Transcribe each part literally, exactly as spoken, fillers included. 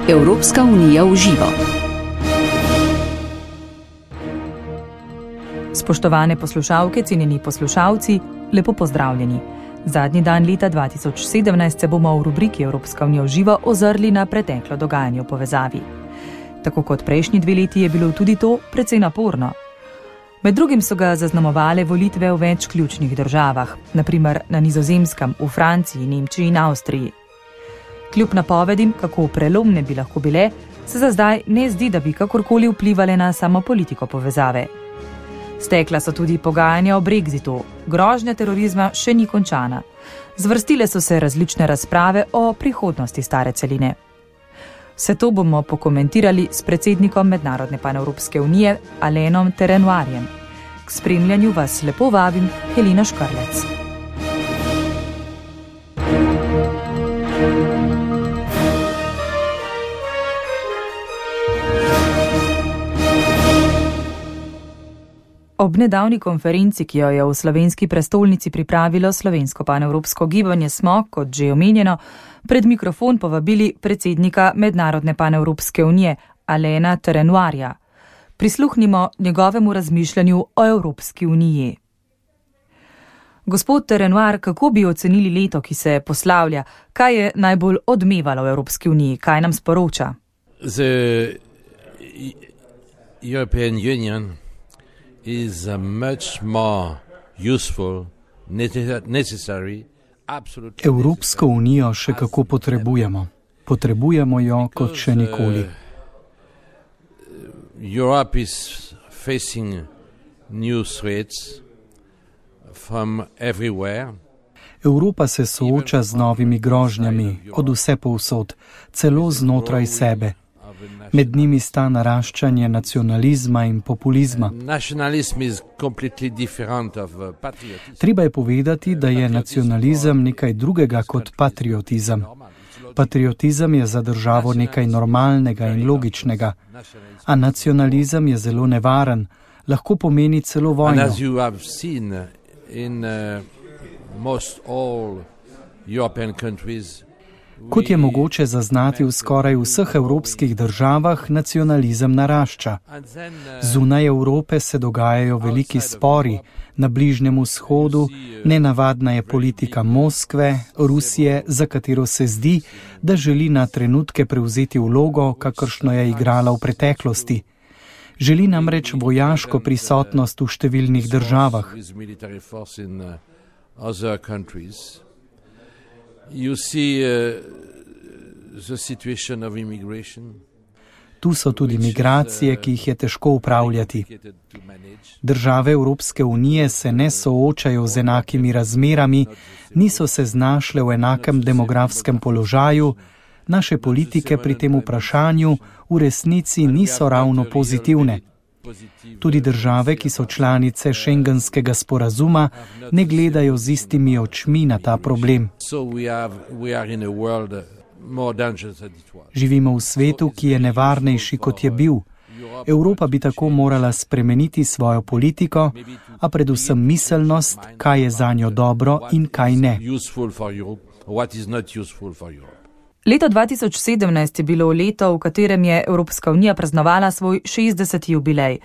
Evropska unija v živo. Spoštovane poslušalke, cenjeni poslušalci, lepo pozdravljeni. Zadnji dan leta dva tisoč sedemnajst se bomo v rubriki Evropska unija v živo ozrli na preteklo dogajanje v povezavi. Tako kot prejšnji dve leti je bilo tudi to precej naporno. Med drugim so ga zaznamovale volitve v več ključnih državah, na primer na Nizozemskem, v Franciji, Nemčiji in Avstriji. Kljub napovedim, kako prelomne bi lahko bile, se za zdaj ne zdi, da bi kakorkoli vplivale na samo politiko povezave. Stekla so tudi pogajanja o brexitu, grožnja terorizma še ni končana. Zvrstile so se različne razprave o prihodnosti stare celine. Vse to bomo pokomentirali s predsednikom Mednarodne panevropske unije Alainem Terenoirjem. K spremljanju vas lepo vabim Helena Škarlec. Ob nedavni konferenci, ki jo je v slovenski prestolnici pripravilo slovensko panevropsko gibanje, smo, kot že omenjeno, pred mikrofon povabili predsednika Mednarodne panevropske unije Alaina Terenoirja. Prisluhnimo njegovemu razmišljanju o Evropski uniji. Gospod Terenoir, kako bi ocenili leto, ki se poslavlja? Kaj je najbolj odmevalo v Evropski uniji? Kaj nam sporoča? The European Union is a much more useful, necessary, absolutely. Evropsko unijo še kako potrebujemo. Potrebujemo jo kot še nikoli. Europe is facing new threats from everywhere. Evropa se sooča z novimi grožnjami, od vse povsod, celo znotraj sebe. Med njimi sta naraščanje nacionalizma in populizma. Treba je povedati, da je nacionalizem nekaj drugega kot patriotizem. Patriotizem je za državo nekaj normalnega in logičnega, a nacionalizem je zelo nevaren, lahko pomeni celo vojno. Kot je mogoče zaznati v skoraj vseh evropskih državah, nacionalizem narašča. Zunaj Evrope se dogajajo veliki spori, na Bližnjem vzhodu nenavadna je politika Moskve, Rusije, za katero se zdi, da želi na trenutke prevzeti vlogo, kakršno je igrala v preteklosti. Želi namreč vojaško prisotnost v številnih državah. You see uh, the situation of immigration. Tu so tudi migracije, ki jih je težko upravljati. Države Evropske unije se ne soočajo z enakimi razmerami, niso se znašle v enakem demografskem položaju, naše politike pri tem vprašanju v resnici niso ravno pozitivne. Tudi države, ki so članice Schengenskega sporazuma, ne gledajo z istimi očmi na ta problem. Živimo v svetu, ki je nevarnejši, kot je bil. Evropa bi tako morala spremeniti svojo politiko, a predvsem miselnost, kaj je zanjo dobro in kaj ne. Leto dva tisoč sedemnajst je bilo leto, v katerem je Evropska unija praznovala svoj šestdeseti jubilej.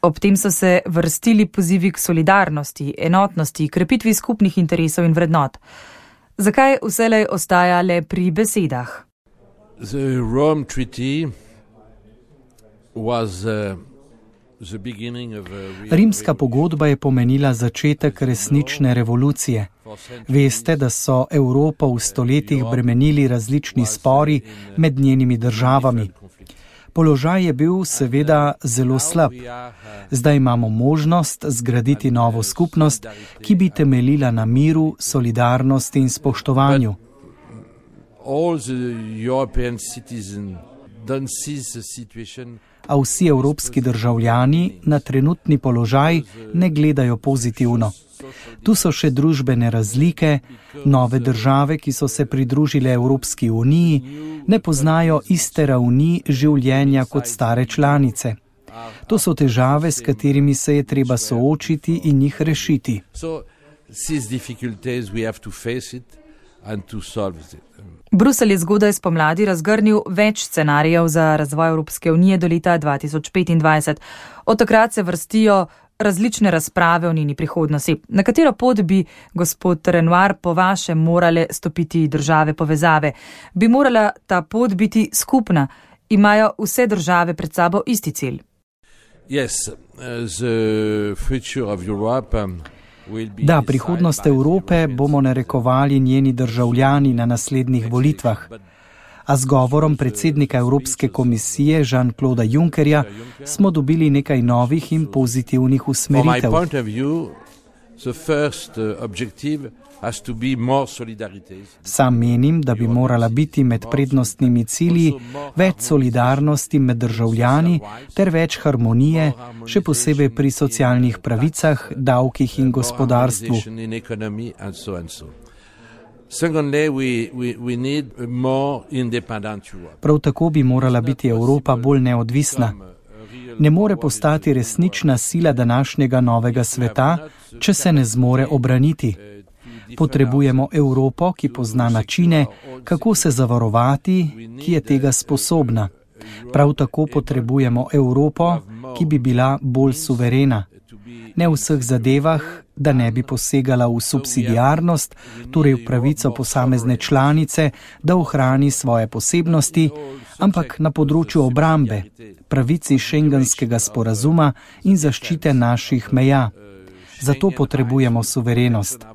Ob tem so se vrstili pozivi k solidarnosti, enotnosti, krepitvi skupnih interesov in vrednot. Zakaj vselej ostaja le pri besedah? The Rome Treaty was uh... Rimska pogodba je pomenila začetek resnične revolucije. Veste, da so Evropo v stoletjih bremenili različni spori med njenimi državami. Položaj je bil seveda zelo slab. Zdaj imamo možnost zgraditi novo skupnost, ki bi temeljila na miru, solidarnosti in spoštovanju. A vsi evropski državljani na trenutni položaj ne gledajo pozitivno. Tu so še družbene razlike, nove države, ki so se pridružile Evropski uniji, ne poznajo iste ravni življenja kot stare članice. To so težave, s katerimi se je treba soočiti in jih rešiti. Bruselj je zgodaj spomladi razgrnil več scenarijev za razvoj Evropske unije do leta dva tisoč petindvajset. Od takrat se vrstijo različne razprave o njeni prihodnosti. Na katero pot bi, gospod Renoir, po vašem morale stopiti države povezave? Bi morala ta pot biti skupna? Imajo vse države pred sabo isti cilj? Yes, the future of Europe, um, Da, prihodnost Evrope bomo narekovali njeni državljani na naslednjih volitvah. A z govorom predsednika Evropske komisije Jean-Claude Junckerja smo dobili nekaj novih in pozitivnih usmeritev. Sam menim, da bi morala biti med prednostnimi cilji več solidarnosti med državljani ter več harmonije, še posebej pri socialnih pravicah, davkih in gospodarstvu. Prav tako bi morala biti Evropa bolj neodvisna. Ne more postati resnična sila današnjega novega sveta, če se ne zmore obraniti. Potrebujemo Evropo, ki pozna načine, kako se zavarovati, ki je tega sposobna. Prav tako potrebujemo Evropo, ki bi bila bolj suverena. Ne v vseh zadevah, da ne bi posegala v subsidiarnost, torej v pravico posamezne članice, da ohrani svoje posebnosti, ampak na področju obrambe, pravici šengenskega sporazuma in zaščite naših meja. Zato potrebujemo suverenost.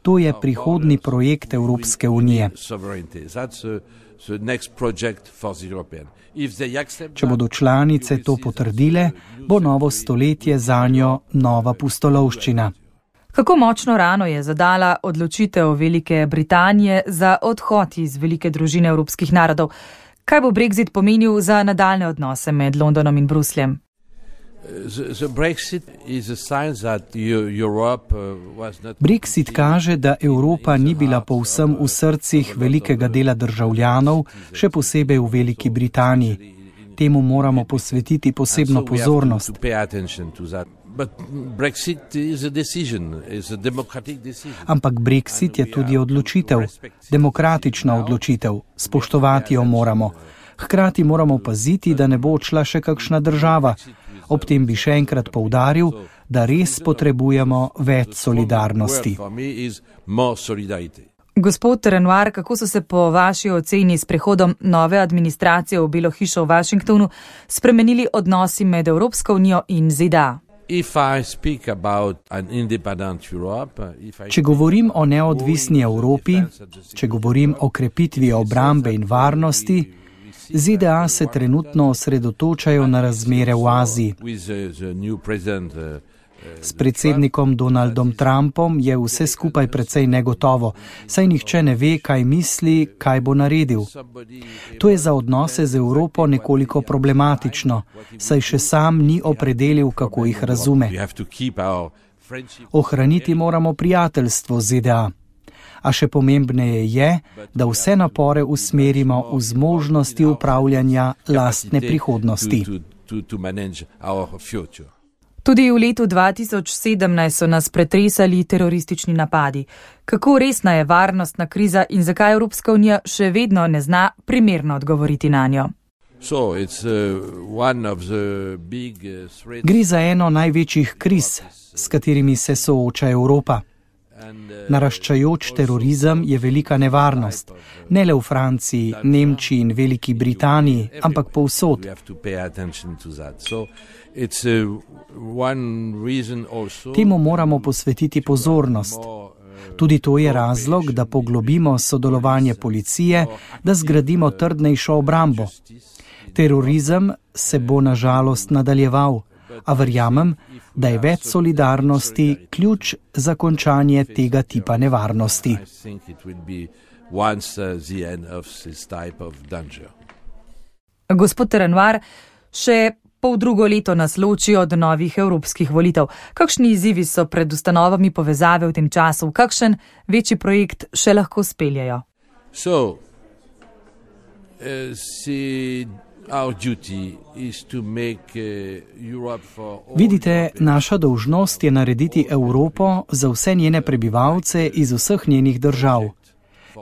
To je prihodni projekt Evropske unije. Če bodo članice to potrdile, bo novo stoletje zanjo nova pustolovščina. Kako močno rano je zadala odločitev Velike Britanije za odhod iz velike družine evropskih narodov? Kaj bo Brexit pomenil za nadaljne odnose med Londonom in Brusljem? Brexit kaže, da Evropa ni bila povsem v srcih velikega dela državljanov, še posebej v Veliki Britaniji. Temu moramo posvetiti posebno pozornost. Ampak Brexit je tudi odločitev, demokratična odločitev, spoštovati jo moramo. Hkrati moramo paziti, da ne bo odšla še kakšna država. Ob tem bi še enkrat poudaril, da res potrebujemo več solidarnosti. Gospod Renoir, kako so se po vaši oceni s prehodom nove administracije v Belo hišo v Washingtonu spremenili odnosi med Evropsko unijo in Z D A? Če govorim o neodvisni Evropi, če govorim o krepitvi obrambe in varnosti, Z D A se trenutno osredotočajo na razmere v Aziji. S predsednikom Donaldom Trumpom je vse skupaj precej negotovo, saj nihče ne ve, kaj misli, kaj bo naredil. To je za odnose z Evropo nekoliko problematično, saj še sam ni opredelil, kako jih razume. Ohraniti moramo prijateljstvo Z D A. A še pomembneje je, da vse napore usmerimo v zmožnosti upravljanja lastne prihodnosti. Tudi v letu dva tisoč sedemnajst so nas pretresali teroristični napadi. Kako resna je varnostna kriza in zakaj Evropska unija še vedno ne zna primerno odgovoriti na njo? Gre za eno največjih kriz, s katerimi se sooča Evropa. Naraščajoč terorizem je velika nevarnost, ne le v Franciji, Nemčiji in Veliki Britaniji, ampak povsod. Temu moramo posvetiti pozornost. Tudi to je razlog, da poglobimo sodelovanje policije, da zgradimo trdnejšo obrambo. Terorizem se bo na žalost nadaljeval, a verjamem, da je več solidarnosti ključ za končanje tega tipa nevarnosti. Gospod Renoir, še pol drugo leto nas loči od novih evropskih volitev. Kakšni izzivi so pred ustanovami povezave v tem času? Kakšen večji projekt še lahko speljejo? So, uh, si... Vidite, naša dolžnost je narediti Evropo za vse njene prebivalce iz vseh njenih držav.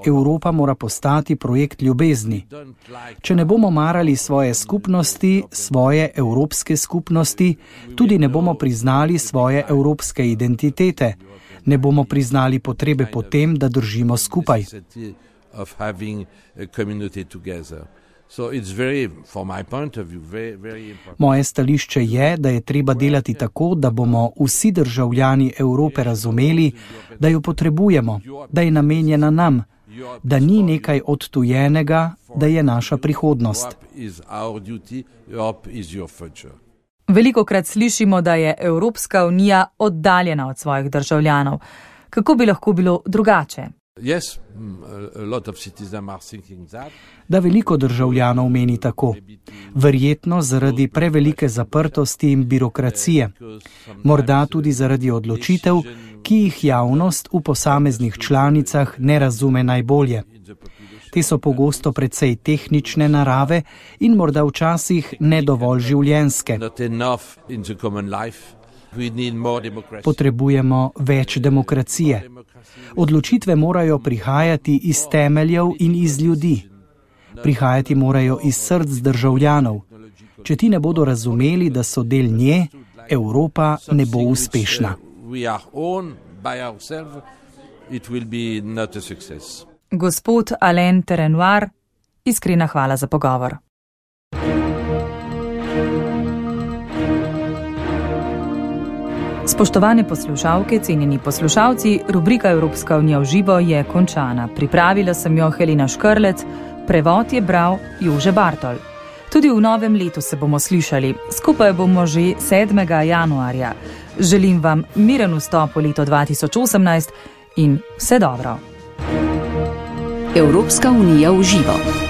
Evropa mora postati projekt ljubezni. Če ne bomo marali svoje skupnosti, svoje evropske skupnosti, tudi ne bomo priznali svoje evropske identitete, ne bomo priznali potrebe po tem, da držimo skupaj. Moje stališče je, da je treba delati tako, da bomo vsi državljani Evrope razumeli, da jo potrebujemo, da je namenjena nam, da ni nekaj odtujenega, da je naša prihodnost. Velikokrat slišimo, da je Evropska unija oddaljena od svojih državljanov. Kako bi lahko bilo drugače? Da veliko državljanov meni tako. Verjetno zaradi prevelike zaprtosti in birokracije. Morda tudi zaradi odločitev, ki jih javnost v posameznih članicah ne razume najbolje. Te so pogosto precej tehnične narave in morda včasih ne dovolj življenjske. Potrebujemo več demokracije. Odločitve morajo prihajati iz temeljev in iz ljudi. Prihajati morajo iz src državljanov. Če ti ne bodo razumeli, da so del nje, Evropa ne bo uspešna. Gospod Alain Terenoir, iskrena hvala za pogovor. Spoštovane poslušalke, cenjeni poslušalci, rubrika Evropska unija v živo je končana. Pripravila sem jo Helena Škrlec, prevod je bral Jože Bartol. Tudi v novem letu se bomo slišali, skupaj bomo že sedmega januarja. Želim vam miren vstop v leto dva tisoč osemnajst in vse dobro. Evropska unija v živo.